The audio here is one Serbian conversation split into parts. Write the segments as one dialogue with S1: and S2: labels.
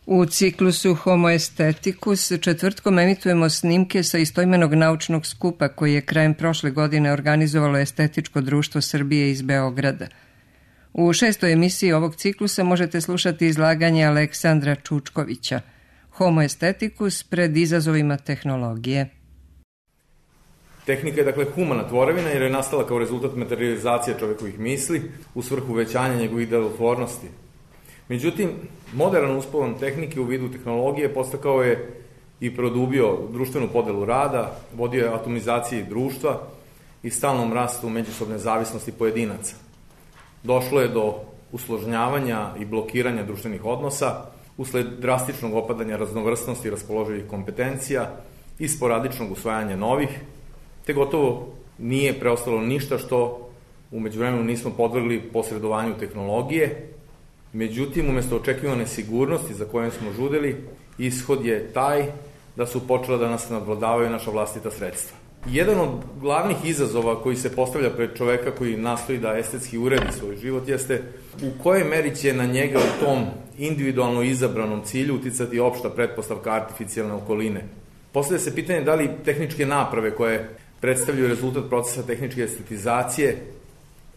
S1: U ciklusu Homo Aestheticus četvrtkom emitujemo snimke sa istoimenog naučnog skupa koji je krajem prošle godine organizovalo Estetičko društvo Srbije iz Beograda. U 6. emisiji ovog ciklusa možete slušati izlaganje Aleksandra Čučkovića, Homo Aestheticus pred izazovima tehnologije.
S2: Tehnika je dakle humana tvorevina jer je nastala kao rezultat materializacije čovekovih misli u svrhu uvećanja njegovih delotvornosti. Međutim, modern uspon tehnike u vidu tehnologije podstakao je i produbio društvenu podelu rada, vodio je atomizaciji društva i stalnom rastu međusobne zavisnosti pojedinaca. Došlo je do usložnjavanja i blokiranja društvenih odnosa usled drastičnog opadanja raznovrsnosti raspoloživih kompetencija i sporadičnog usvajanja novih, te gotovo nije preostalo ništa što u međuvremenu nismo podvrgli posredovanju tehnologije. Međutim, umesto očekivane sigurnosti za kojom smo žudeli, ishod je taj da su počela da nas nadvladavaju naša vlastita sredstva. Jedan od glavnih izazova koji se postavlja pred čoveka koji nastoji da estetski uredi svoj život jeste u kojoj meri će na njega u tom individualno izabranom cilju uticati opšta pretpostavka artificijalne okoline. Postavlja se pitanje da li tehničke naprave koje predstavljaju rezultat procesa tehničke estetizacije,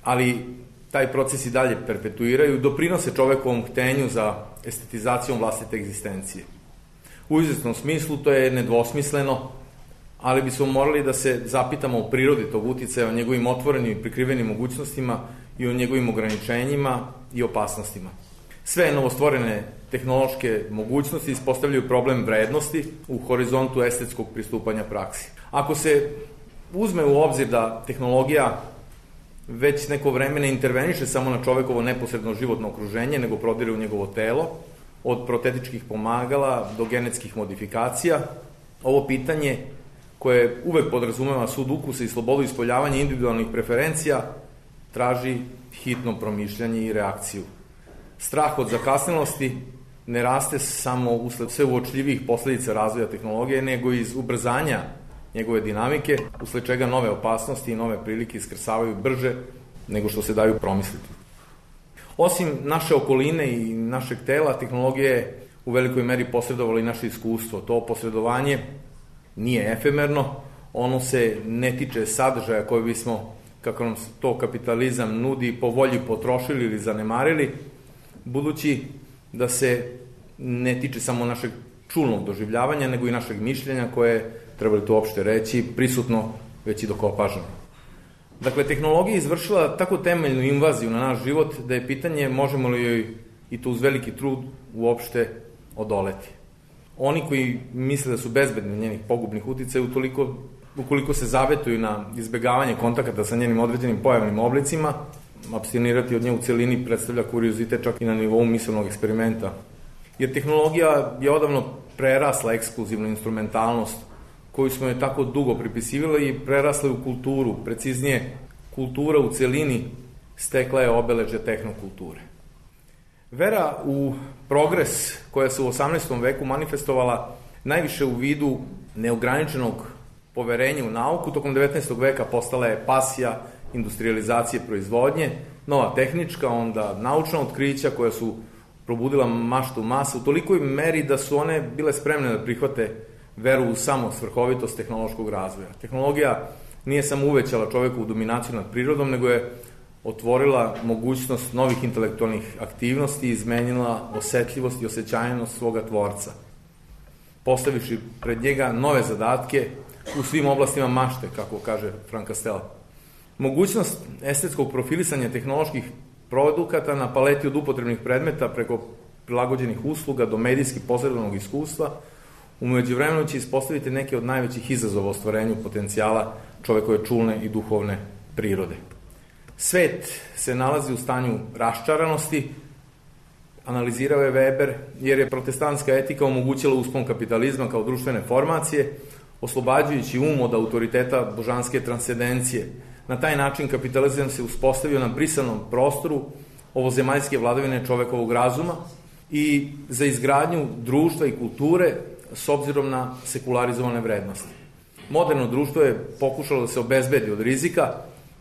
S2: ali taj proces i dalje perpetuiraju, doprinose čovekovom htenju za estetizacijom vlastite egzistencije. U izvesnom smislu to je nedvosmisleno, ali bismo morali da se zapitamo o prirodi tog uticaja, o njegovim otvorenim i prikrivenim mogućnostima i o njegovim ograničenjima i opasnostima. Sve novostvorene tehnološke mogućnosti ispostavljaju problem vrednosti u horizontu estetskog pristupanja praksi. Ako se uzme u obzir da tehnologija već neko vreme ne interveniše samo na čovekovo neposredno životno okruženje, nego prodire u njegovo telo, od protetičkih pomagala do genetskih modifikacija, ovo pitanje koje uvek podrazumeva sud ukusa i slobodu ispoljavanja individualnih preferencija, traži hitno promišljanje i reakciju. Strah od zakasnelosti ne raste samo usled sve uočljivih posledica razvoja tehnologije, nego iz ubrzanja njegove dinamike, usled čega nove opasnosti i nove prilike iskrsavaju brže nego što se daju promisliti. Osim naše okoline i našeg tela, tehnologija je u velikoj meri posredovala i naše iskustvo. To posredovanje nije efemerno, ono se ne tiče sadržaja koje bismo, kako nam to kapitalizam nudi, po volji potrošili ili zanemarili, budući da se ne tiče samo našeg čulnog doživljavanja, nego i našeg mišljenja koje, treba li to uopšte reći, prisutno već i dok opažamo. Dakle, tehnologija je izvršila tako temeljnu invaziju na naš život da je pitanje možemo li joj, i to uz veliki trud, uopšte odoleti. Oni koji misle da su bezbedni njenih pogubnih uticaja, ukoliko se zavetuju na izbegavanje kontakata sa njenim određenim pojavnim oblicima, apstinirati od nje u celini predstavlja kuriozitet čak i na nivou mislevnog eksperimenta. Jer tehnologija je odavno prerasla ekskluzivnu instrumentalnost koju smo je tako dugo pripisivali i prerasla u kulturu, preciznije, kultura u celini stekla je obeležje tehnokulture. Vera u progres koja se u 18. veku manifestovala najviše u vidu neograničenog poverenja u nauku, tokom 19. veka postala je pasija industrializacije proizvodnje, nova tehnička, onda naučna otkrića koja su probudila maštu masa u tolikoj meri da su one bile spremne da prihvate veru u samo svrhovitost tehnološkog razvoja. Tehnologija nije samo uvećala čovekovu dominaciju nad prirodom, nego je otvorila mogućnost novih intelektualnih aktivnosti i izmenila osetljivost i osjećajnost svoga tvorca, postavivši pred njega nove zadatke u svim oblastima mašte, kako kaže Frank Castella. Mogućnost estetskog profilisanja tehnoloških produkata na paleti od upotrebnih predmeta preko prilagođenih usluga do medijski posredovanog iskustva u međuvremenu će ispostaviti neke od najvećih izazova ostvarenju potencijala čovekove čulne i duhovne prirode. Svet se nalazi u stanju raščaranosti, analizirao je Weber, jer je protestantska etika omogućila uspon kapitalizma kao društvene formacije, oslobađajući um od autoriteta božanske transcendencije. Na taj način kapitalizam se uspostavio na brisanom prostoru ovozemaljske vladavine čovekovog razuma i za izgradnju društva i kulture s obzirom na sekularizovane vrednosti. Moderno društvo je pokušalo da se obezbedi od rizika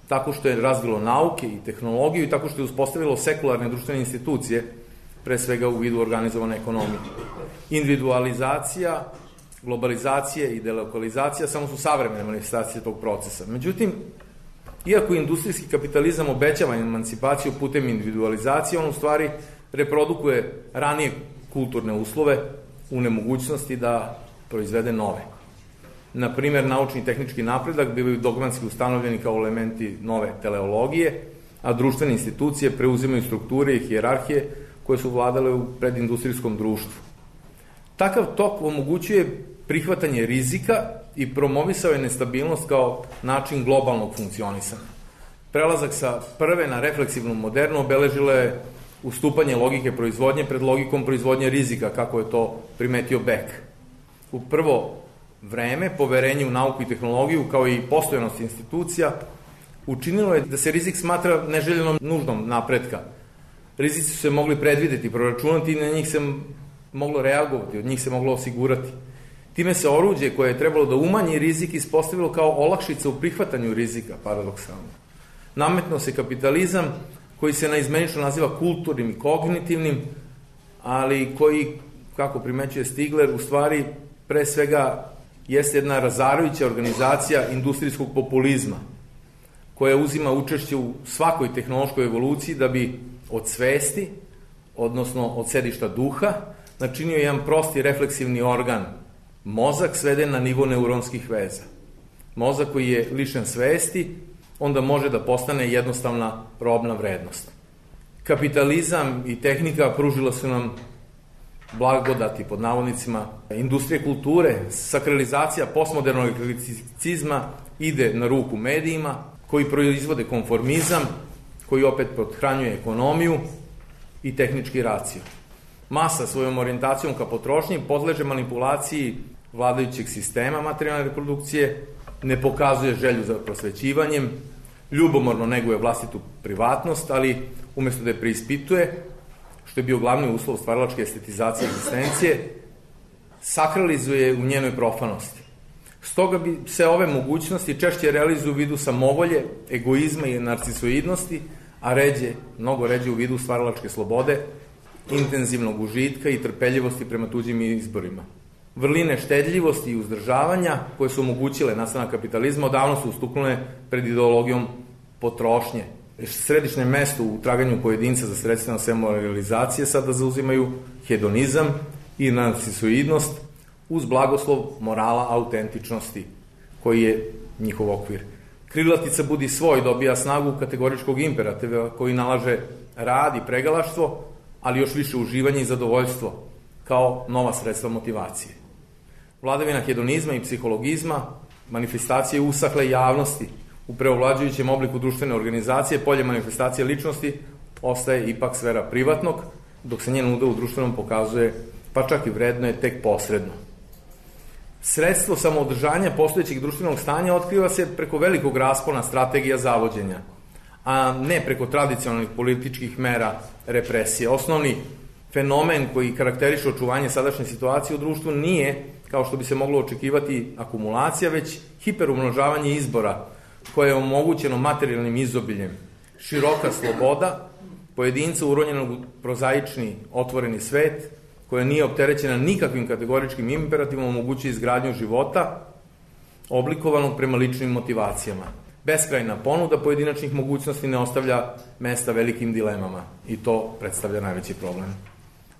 S2: tako što je razvilo nauke i tehnologiju i tako što je uspostavilo sekularne društvene institucije pre svega u vidu organizovane ekonomije. Individualizacija, globalizacija i delokalizacija samo su savremene manifestacije tog procesa. Međutim, iako industrijski kapitalizam obećava emancipaciju putem individualizacije, on u stvari reprodukuje ranije kulturne uslove u nemogućnosti da proizvede nove. Na primjer, naučni i tehnički napredak bivaju dogmatski ustanovljeni kao elementi nove teleologije, a društvene institucije preuzimaju strukture i hijerarhije koje su vladale u predindustrijskom društvu. Takav tok omogućuje prihvatanje rizika i promovisao je nestabilnost kao način globalnog funkcionisanja. Prelazak sa prve na refleksivnu modernu obeležilo je ustupanje logike proizvodnje pred logikom proizvodnje rizika, kako je to primetio Beck. U prvo vreme poverenje u nauku i tehnologiju, kao i postojanost institucija, učinilo je da se rizik smatra neželjenom nužnom napretka. Rizici su se mogli predvideti, proračunati i na njih se moglo reagovati, od njih se moglo osigurati. Time se oruđe koje je trebalo da umanji rizik ispostavilo kao olakšica u prihvatanju rizika, paradoksalno. Nametno se kapitalizam koji se naizmenično naziva kulturnim i kognitivnim, ali koji, kako primećuje Stigler, u stvari pre svega jeste jedna razarajuća organizacija industrijskog populizma, koja uzima učešće u svakoj tehnološkoj evoluciji da bi od svesti, odnosno od sedišta duha, načinio jedan prosti refleksivni organ, mozak sveden na nivo neuronskih veza. Mozak koji je lišen svesti, onda može da postane jednostavna robna vrednost. Kapitalizam i tehnika pružila su nam blagodati, pod navodnicima, industrije kulture, sakralizacija postmodernog eklecizma ide na ruku medijima, koji proizvode konformizam, koji opet pothranjuje ekonomiju i tehnički racio. Masa svojom orijentacijom ka potrošnji podleže manipulaciji vladajućeg sistema materijalne reprodukcije, ne pokazuje želju za prosvećivanjem, ljubomorno neguje vlastitu privatnost, ali umesto da je preispituje, što je bio glavni uslov stvaralačke estetizacije egzistencije, sakralizuje u njenoj profanosti. Stoga bi se ove mogućnosti češće realizuju u vidu samovolje, egoizma i narcisoidnosti, a mnogo ređe u vidu stvaralačke slobode, intenzivnog užitka i trpeljivosti prema tuđim izborima. Vrline štedljivosti i uzdržavanja, koje su omogućile nastanak kapitalizma, odavno su ustupnule pred ideologijom potrošnje. Središnje mesto u traganju pojedinca za sredstveno samorealizacije sada zauzimaju hedonizam i narcisoidnost uz blagoslov morala autentičnosti, koji je njihov okvir. Krilatica budi svoj dobija snagu kategoričkog imperativa koji nalaže rad i pregalaštvo, ali još više uživanje i zadovoljstvo kao nova sredstva motivacije. Vladavina hedonizma i psihologizma, manifestacije usahle javnosti u preovlađujućem obliku društvene organizacije, polje manifestacije ličnosti ostaje ipak sfera privatnog, dok se njen udeo u društvenom pokazuje, pa čak i vredno je tek posredno. Sredstvo samoodržanja postojećeg društvenog stanja otkriva se preko velikog raspona strategija zavođenja, a ne preko tradicionalnih političkih mera represije. Osnovni fenomen koji karakteriše očuvanje sadašnje situacije u društvu nije, kao što bi se moglo očekivati, akumulacija, već hiperumnožavanje izbora, koje je omogućeno materijalnim izobiljem. Široka sloboda, pojedinca uronjenog u prozaični, otvoreni svet, koja nije opterećena nikakvim kategoričkim imperativom, omogućuje izgradnju života oblikovanog prema ličnim motivacijama. Beskrajna ponuda pojedinačnih mogućnosti ne ostavlja mesta velikim dilemama i to predstavlja najveći problem.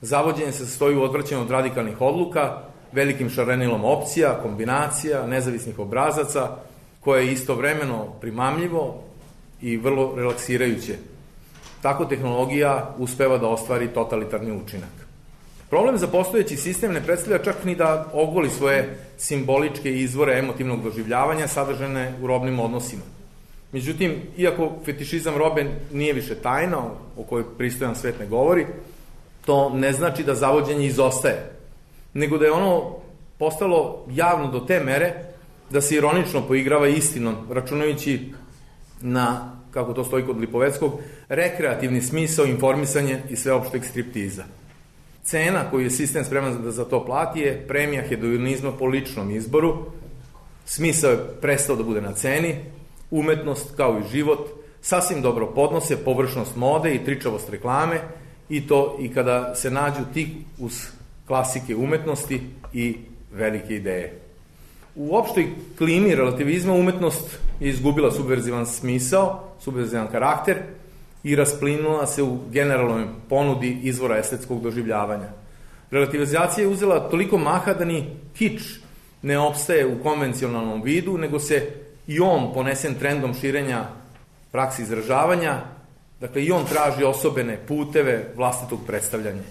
S2: Zavođenje se sastoji u odvraćanju od radikalnih odluka, velikim šarenilom opcija, kombinacija, nezavisnih obrazaca, koje je istovremeno primamljivo i vrlo relaksirajuće. Tako tehnologija uspeva da ostvari totalitarni učinak. Problem za postojeći sistem ne predstavlja čak ni da ogoli svoje simboličke izvore emotivnog doživljavanja sadržane u robnim odnosima. Međutim, iako fetišizam robe nije više tajna, o kojoj pristojan svet ne govori, to ne znači da zavođenje izostaje, nego da je ono postalo javno do te mere da se ironično poigrava istinom, računajući na, kako to stoji kod Lipoveckog, rekreativni smisao, informisanje i sveopšteg striptiza. Cena koju je sistem spreman da za to plati je premija hedonizma po ličnom izboru, smisao je prestao da bude na ceni, umetnost kao i život sasvim dobro podnose površnost mode i tričavost reklame i kada se nađu tik uz klasike umetnosti i velike ideje. U opštoj klimi relativizma umetnost je izgubila subverzivan smisao, subverzivan karakter i rasplinula se u generalnoj ponudi izvora estetskog doživljavanja. Relativizacija je uzela toliko maha da ni kič ne opstaje u konvencionalnom vidu, nego se i on, ponesen trendom širenja praksi izražavanja, dakle i on traži osobene puteve vlastitog predstavljanja.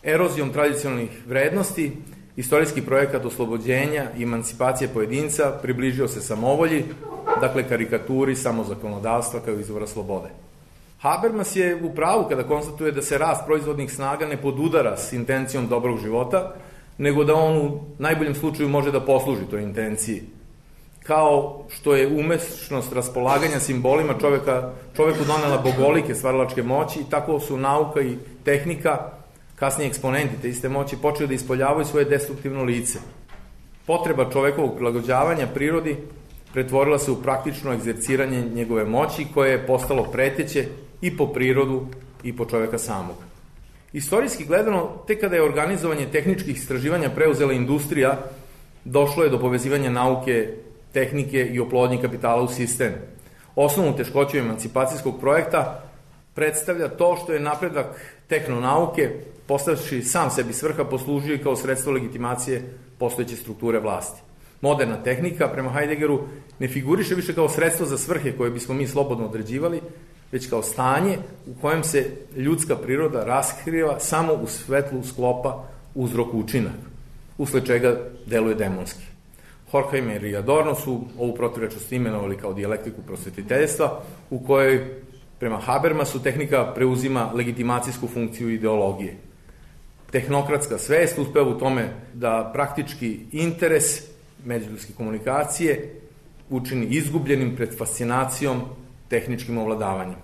S2: Erozijom tradicionalnih vrednosti, istorijski projekat oslobođenja i emancipacije pojedinca približio se samovolji, dakle karikaturi samozakonodavstva kao izvora slobode. Habermas je u pravu kada konstatuje da se rast proizvodnih snaga ne podudara s intencijom dobrog života, nego da on u najboljem slučaju može da posluži toj intenciji. Kao što je umešnost raspolaganja simbolima čoveku donela bogolike stvaralačke moći, i tako su nauka i tehnika, kasnije eksponenti te iste moći, počeli da ispoljavaju svoje destruktivno lice. Potreba čovekovog prilagođavanja prirodi pretvorila se u praktično egzerciranje njegove moći, koje je postalo preteće i po prirodu i po čoveka samog. Istorijski gledano, tek kada je organizovanje tehničkih istraživanja preuzela industrija, došlo je do povezivanja nauke, tehnike i oplodnje kapitala u sistem. Osnovnu teškoću emancipacijskog projekta predstavlja to što je napredak tehnonauke, postavši sam sebi svrha, poslužio kao sredstvo legitimacije postojeće strukture vlasti. Moderna tehnika, prema Heideggeru, ne figuriše više kao sredstvo za svrhe koje bismo mi slobodno određivali, već kao stanje u kojem se ljudska priroda raskriva samo u svetlu sklopa uzrok-učinak, usled čega deluje demonski. Horkheimer i Adorno su ovu protivrečnost imenovali kao dijalektiku prosvetiteljstva, u kojoj, prema Habermasu, tehnika preuzima legitimacijsku funkciju ideologije. Tehnokratska svest uspeva u tome da praktički interes međuljudske komunikacije učini izgubljenim pred fascinacijom tehničkim ovladavanjem.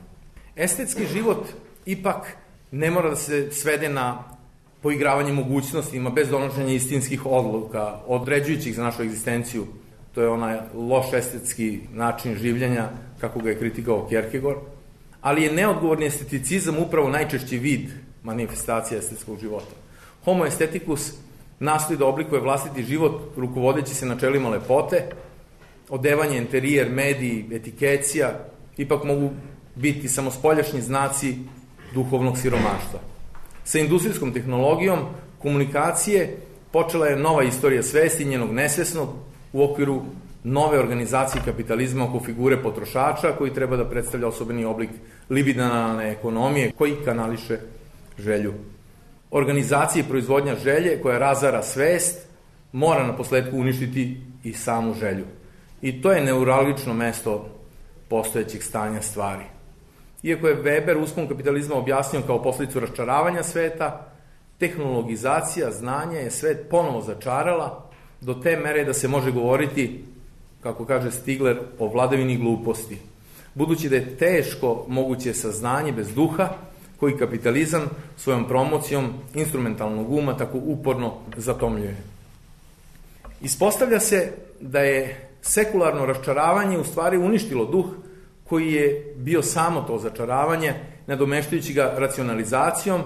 S2: Estetski život ipak ne mora da se svede na poigravanje mogućnostima bez donošenja istinskih odluka, određujućih za našu egzistenciju. To je onaj loš estetski način življenja, kako ga je kritikao Kierkegaard, ali je neodgovorni esteticizam upravo najčešći vid manifestacije estetskog života. Homo aestheticus nastoji da oblikuje vlastiti život rukovodeći se načelima lepote, odevanje, interijer, mediji, etikecija, ipak mogu biti samo spoljašnji znaci duhovnog siromaštva. Sa industrijskom tehnologijom komunikacije počela je nova istorija svesti njenog nesvesnog u okviru nove organizacije kapitalizma oko figure potrošača, koji treba da predstavlja osobeni oblik libidinalne ekonomije koji kanališe želju. Organizacija i proizvodnja želje koja razara svest mora na posledku uništiti i samu želju. I to je neuralgično mesto postojećeg stanja stvari. Iako je Weber uspon kapitalizma objasnio kao posledicu raščaravanja sveta, tehnologizacija znanja je svet ponovo začarala do te mere da se može govoriti, kako kaže Stigler, o vladavini gluposti. Budući da je teško moguće saznanje bez duha, koji kapitalizam svojom promocijom instrumentalnog uma tako uporno zatomljuje. Ispostavlja se da je sekularno raščaravanje u stvari uništilo duh koji je bio samo to začaravanje, nadomeštajući ga racionalizacijom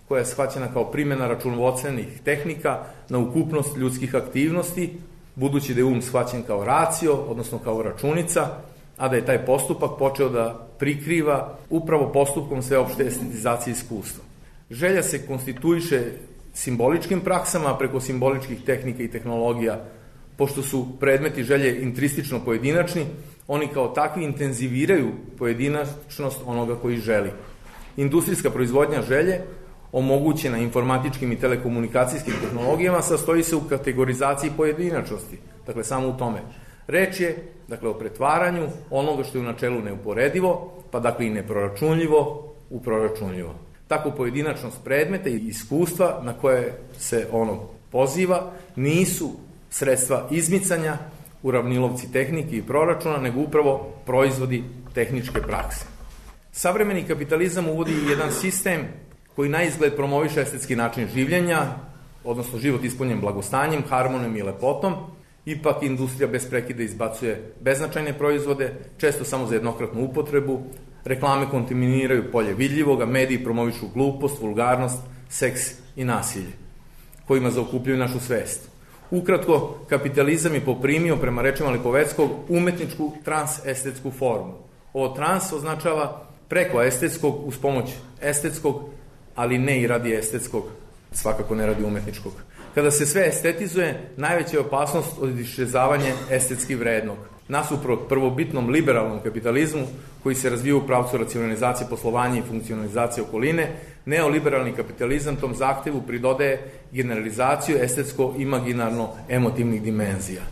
S2: koja je shvaćena kao primjena računovodstvenih tehnika na ukupnost ljudskih aktivnosti, budući da je shvaćen kao racio, odnosno kao računica, a da je taj postupak počeo da prikriva upravo postupkom sveopšte estetizacije iskustva. Želja se konstituiše simboličkim praksama, a preko simboličkih tehnika i tehnologija, pošto su predmeti želje intristično pojedinačni, oni kao takvi intenziviraju pojedinačnost onoga koji želi. Industrijska proizvodnja želje, omogućena informatičkim i telekomunikacijskim tehnologijama, sastoji se u kategorizaciji pojedinačnosti, dakle samo u tome. Reč je, dakle, o pretvaranju onoga što je u načelu neuporedivo, pa dakle i neproračunljivo u proračunljivo. Tako pojedinačnost predmeta i iskustva na koje se ono poziva nisu sredstva izmicanja, uravnilovci tehnike i proračuna, nego upravo proizvodi tehničke prakse. Savremeni kapitalizam uvodi jedan sistem koji na izgled promoviše estetski način življenja, odnosno život ispunjen blagostanjem, harmonijom i lepotom. Ipak industrija bez prekida izbacuje beznačajne proizvode, često samo za jednokratnu upotrebu, Reklame kontaminiraju polje vidljivoga, mediji promovišu glupost, vulgarnost, seks i nasilje, kojima zaokupljaju našu svest. Ukratko, kapitalizam je poprimio, prema rečima Lipoveckog, umetničku transestetsku formu. Ovo trans označava preko estetskog, uz pomoć estetskog, ali ne i radi estetskog, svakako ne radi umetničkog. Kada se sve estetizuje, najveća je opasnost od iščezavanja estetski vrednog. Nasuprot prvobitnom liberalnom kapitalizmu, koji se razvija u pravcu racionalizacije poslovanja i funkcionalizacije okoline, neoliberalni kapitalizam tom zahtevu pridodaje generalizaciju estetsko-imaginarno-emotivnih dimenzija.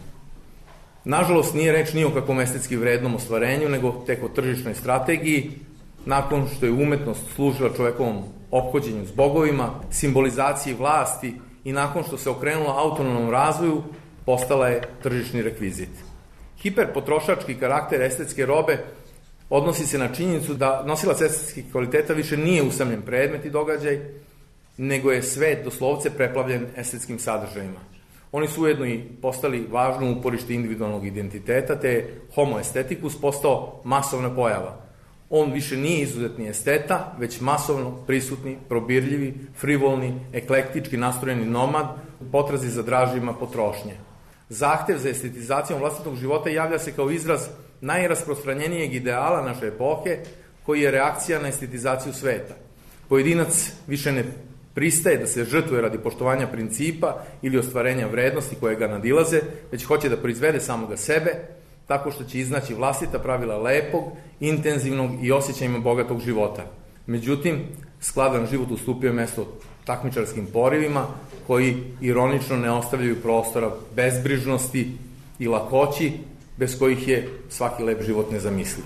S2: Nažalost, nije reč ni o kakvom estetski vrednom ostvarenju, nego tek o tržišnoj strategiji, nakon što je umetnost služila čovekovom ophođenju s bogovima, simbolizaciji vlasti i nakon što se okrenula autonomnom razvoju, postala je tržišni rekvizit. Hiperpotrošački karakter estetske robe odnosi se na činjenicu da nosilac estetskih kvaliteta više nije usamljen predmet i događaj, nego je svet doslovce preplavljen estetskim sadržajima. Oni su ujedno i postali važno uporište individualnog identiteta, te je homo esteticus postao masovna pojava. On više nije izuzetni esteta, već masovno prisutni, probirljivi, frivolni, eklektički nastrojeni nomad u potrazi za draživima potrošnje. Zahtev za estetizacijom vlastitog života javlja se kao izraz najrasprostranjenijeg ideala naše epohe, koji je reakcija na estetizaciju sveta. Pojedinac više ne pristaje da se žrtvuje radi poštovanja principa ili ostvarenja vrednosti koje ga nadilaze, već hoće da proizvede samoga sebe, tako što će iznaći vlastita pravila lepog, intenzivnog i osjećajima bogatog života. Međutim, skladan život ustupio mesto takmičarskim porivima, koji ironično ne ostavljaju prostora bezbrižnosti i lakoći, bez kojih je svaki lep život nezamisliv.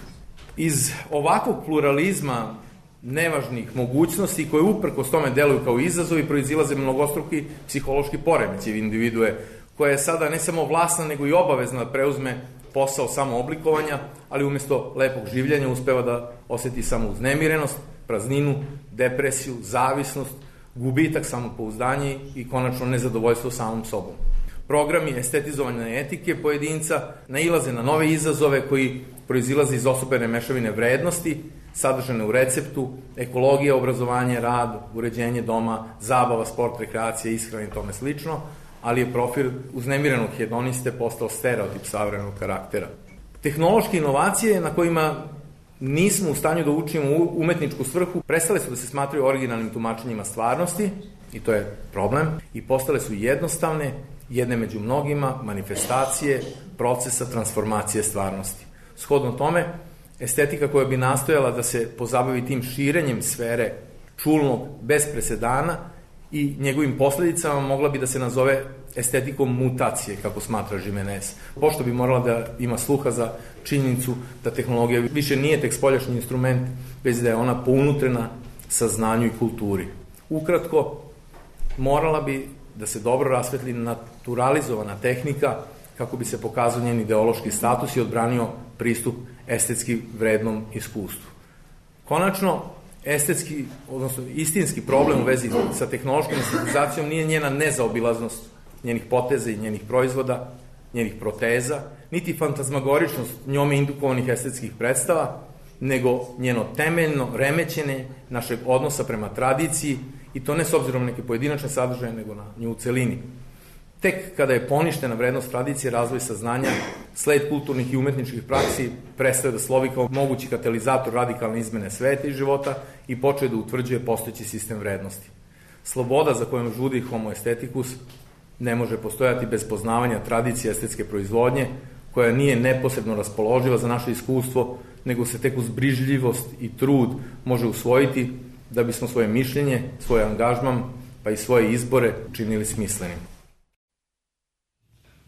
S2: Iz ovakvog pluralizma nevažnih mogućnosti, koje uprkos tome deluju kao izazovi, proizilaze mnogostruki psihološki poremećaji individue, koja je sada ne samo vlasna, nego i obavezna da preuzme posao samooblikovanja, ali umesto lepog življenja uspeva da oseti samo uznemirenost, prazninu, depresiju, zavisnost, gubitak samopouzdanja i konačno nezadovoljstvo samom sobom. Programi estetizovane etike pojedinca nailaze na nove izazove koji proizilaze iz osobene mešavine vrednosti, sadržane u receptu, ekologija, obrazovanje, rad, uređenje doma, zabava, sport, rekreacija, ishrana i tome slično, ali je profil uznemirenog hedoniste postao stereotip savremenog karaktera. Tehnološke inovacije na kojima nismo u stanju da učimo umetničku svrhu prestale su da se smatraju originalnim tumačenjima stvarnosti, i to je problem, i postale su jednostavne, jedne među mnogima, manifestacije procesa transformacije stvarnosti. Shodno tome, estetika koja bi nastojala da se pozabavi tim širenjem sfere čulnog bez presedana i njegovim posledicama mogla bi da se nazove estetikom mutacije, kako smatra Jimenez, pošto bi morala da ima sluha za činjenicu da tehnologija više nije tek spoljašnji instrument, već da je ona pounutrena saznanju i kulturi. Ukratko, morala bi da se dobro rasvetli naturalizovana tehnika kako bi se pokazao njen ideološki status i odbranio pristup estetski vrednom iskustvu. Konačno, estetski, odnosno istinski problem u vezi sa tehnološkom estetizacijom nije njena nezaobilaznost njenih poteza i njenih proizvoda, njenih proteza, niti fantazmagoričnost njome indukovanih estetskih predstava, nego njeno temeljno remećenje našeg odnosa prema tradiciji, i to ne s obzirom na neke pojedinačne sadržaje, nego na nju u celini. Tek kada je poništena vrednost tradicije, razvoj saznanja, sled kulturnih i umetničkih praksi prestaje da slovi kao mogući katalizator radikalne izmene sveta i života i počeo da utvrđuje postojeći sistem vrednosti. Sloboda za kojom žudi homo esteticus ne može postojati bez poznavanja tradicije estetske proizvodnje, koja nije neposredno raspoloživa za naše iskustvo, nego se tek uz brižljivost i trud može usvojiti da bismo svoje mišljenje, svoj angažman, pa i svoje izbore činili smislenim.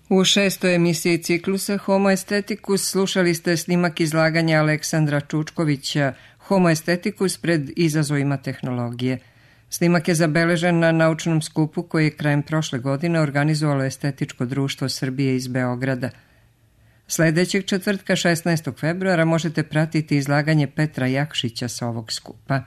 S1: U 6. emisiji ciklusa Homo Esteticus slušali ste snimak izlaganja Aleksandra Čučkovića Homo Esteticus pred izazovima tehnologije. Snimak je zabeležen na naučnom skupu koji je krajem prošle godine organizovalo Estetičko društvo Srbije iz Beograda. Sledećeg četvrtka 16. februara možete pratiti izlaganje Petra Jakšića sa ovog skupa.